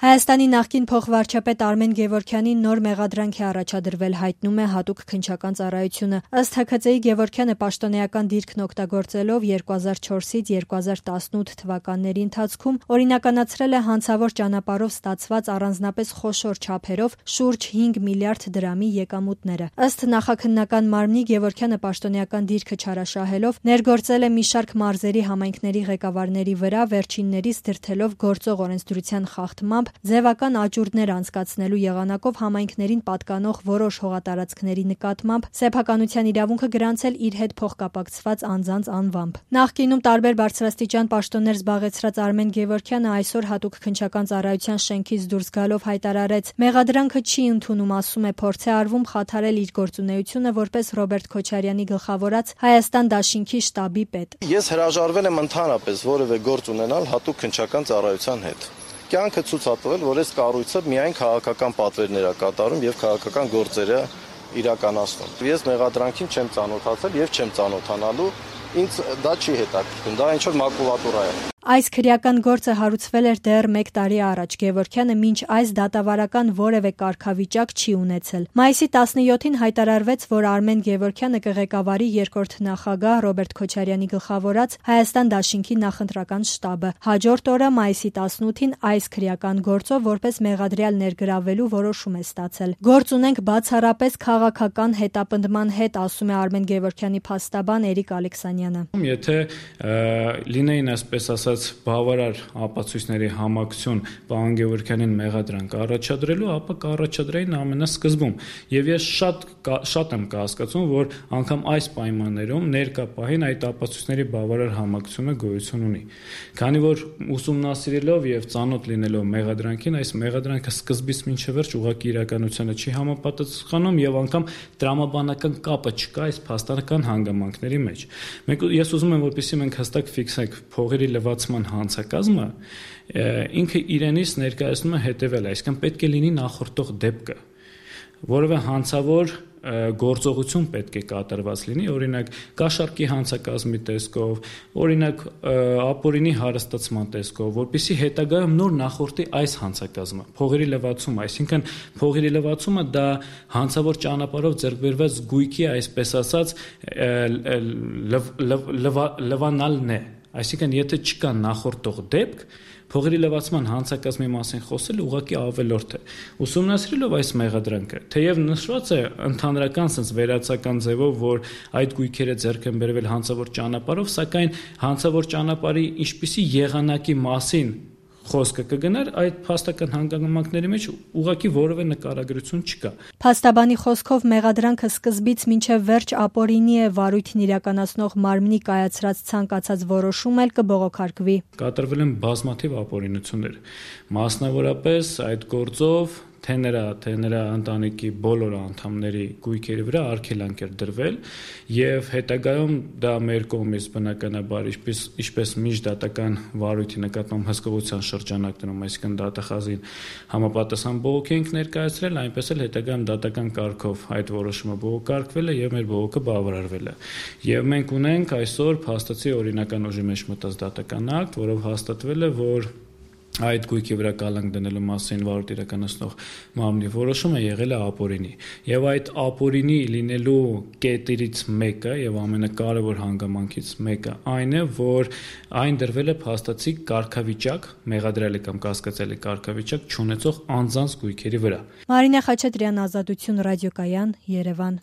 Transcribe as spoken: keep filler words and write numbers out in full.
Հայաստանի նախկին փոխվարչապետ Արմեն Գևորգյանին նոր մեղադրանք է առաջադրվել, հայտնում է Հատուկ քննչական ծառայությունը։ Ըստ Հ Քծեի Գևորգյանը պաշտոնեական դիրքն օգտագործելով երկու հազար չորսից երկու հազար տասնութ թվականների ընթացքում օրինականացրել է հանցավոր ճանապարհով ստացված առանձնապես խոշոր չափերով շուրջ հինգ միլիարդ դրամի եկամուտները։ Ըստ նախաքննական մարմնի Գևորգյանը պաշտոնեական դիրքը չարաշահելով ներգործել է մի շարք մարզերի համայնքների ղեկավարների վրա, վերջիններիս դրդելով գործող օրենսդրության խախտմամբ ձևական աճուրդներ անցկացնելու եղանակով համայնքներին պատկանող որոշ հողատարածքների նկատմամբ սեփականության իրավունքը գրանցել իր հետ փոխկապակցված անձանց անվամբ։ Նախկինում տարբեր բարձրաստիճան պաշտոններ զբաղեցրած Արմեն Գևորգյանը այսօր Հատուկ քննչական ծառայության շենքից դուրս գալով հայտարարեց. «Մեղադրանքը չի ընդունում», ասում է, փորձ է արվում խաթարել իր գործունեությունը որպես Ռոբերտ Քոչարյանի գլխավորած Հայաստան դաշինքի շտաբի պետ։ Ես հրաժարվել եմ ընդհանրապես որևէ գործ ունենալ Հատուկ քննչական ծառայության հետ։ Կյանքը ցույց է տվել, որ այս կառույցը միայն քաղաքական պատվերներ է կատարում եւ քաղաքական գործերը իրականացնում։ Ես մեղադրանքին չեմ ծանոթացել եւ չեմ ծանոթանալու, ինձ դա չի հետաքրքրում, դա ինչ որ մակուլատուրա է։ Այս քրեական գործը հարուցվել էր դեռ մեկ տարի առաջ։ Գևորգյանը մինչ այս դատավարական որևէ կարգավիճակ չի ունեցել։ Մայիսի տասնյոթին հայտարարվեց, որ Արմեն Գևորգյանը կղեկավարի երկրորդ նախագահ Ռոբերտ Քոչարյանի գլխավորած Հայաստան դաշինքի նախընտրական շտաբը։ Հաջորդ օրը մայիսի տասնութին այս քրեական գործով որպես մեղադրյալ ներգրավելու որոշում է ստացել։ Գործ ունենք բացառապես քաղաքական հետապնդման հետ, ասում է Արմեն Գևորգյանի փաստաբան Էրիկ Ալեքսանյանը։ Եթե լինեին այսպես ասած բավարար ապացույցների համակցություն պարոն Գևորգյանին մեղադրանք առաջադրելու, ապա կառաջադրեին ամենասկզբում։ Եվ ես շատ շատ եմ կհասկացում, որ անգամ այս պայմաններում ներկա պահին այդ ապացույցների բավարար համակցությունը գոյություն ունի։ Քանի որ ուսումնասիրելով եւ ծանոթ լինելով մեղադրանքին, այս մեղադրանքը սկզբից մինչև վերջ ուղղակի իրականությանը չի համապատասխանում եւ անգամ տրամաբանական կապը չկա այս փաստական հանգամանքների մեջ։ Մենք ես ուզում եմ, որպեսզի մենք հստակ ֆիքսենք փողերի լվացման հանցակազմը, ինքը իրենից ներկայացնում է հետևյալը, այսինքն պետք է լինի նախորդող դեպքը, որովհետեւ հանցավոր գործողություն պետք է կատարված լինի, օրինակ կաշառքի հանցակազմի տեսքով, օրինակ ապօրինի հարստացման տեսքով, որպեսզի հետագայում նոր նախորդի այս հանցակազմը, փողերի լվացումը, այսինքն փողերի լվացումը դա հանցավոր ճանապարհով ձեռք բերված գույքի, այսպես ասած, լվանալն է, այսինքն եթե չկա նախորդող դեպք, փողերի լվացման հանցակազմի մասին խոսելը ուղղակի ավելորդ է։ Ուսումնասիրելով այս մեղադրանքը, թեև նշված է ընդհանրական sense վերացական ձևով, որ այդ գույքերը ձեռք են բերվել հանցավոր ճանապարհով, սակայն հանցավոր ճանապարհի ինչպիսի եղանակի մասին խոսքը կգնար, այդ փաստական հանգամանքների մեջ ուղղակի որևէ նկարագրություն չկա։ Փաստաբանի խոսքով մեղադրանքը սկզբից մինչև վերջ ապօրինի է, վարույթն իրականացնող մարմնի կայացրած ցանկացած որոշում էլ կբողոքարկվի։ Կատարվել են բազմաթիվ ապօրինություններ, մասնավորապես այդ գործով թե նրա, թե նրա ընտանիքի բոլոր անդամների գույքերի վրա արգելանք էր դրվել եւ հետագայում դա մեր կողմից բնականաբար ինչպես ինչպես միջդատական վարույթի նկատմամբ հսկողության շրջանակներում, այսինքն դատախազին համապատասխան բողոք ենք ներկայացրել, այնպես էլ հետագայում դատական կարգով այդ որոշումը բողոքարկվել է եւ մեր բողոքը բավարարվել է։ Եվ մենք ունենք այսօր փաստացի օրինական ուժի մեջ մտած դատական ակտ, որով հաստատվել է, որ այդ գույքի վրա կալանք դնելու մասին վարույթ իրականացնող մարմնի որոշումը եղել է ապօրինի։ Եվ այդ ապօրինի լինելու կետերից մեկը եւ ամենակարևոր հանգամանքից մեկը այն է, որ այն դրվել է փաստացի կարգավիճակ, մեղադրյալի կամ կասկածյալի կարգավիճակ չունեցող անձանց գույքերի վրա։ Մարինե Խաչատրյան, Ազատություն ռադիոկայան, Երևան։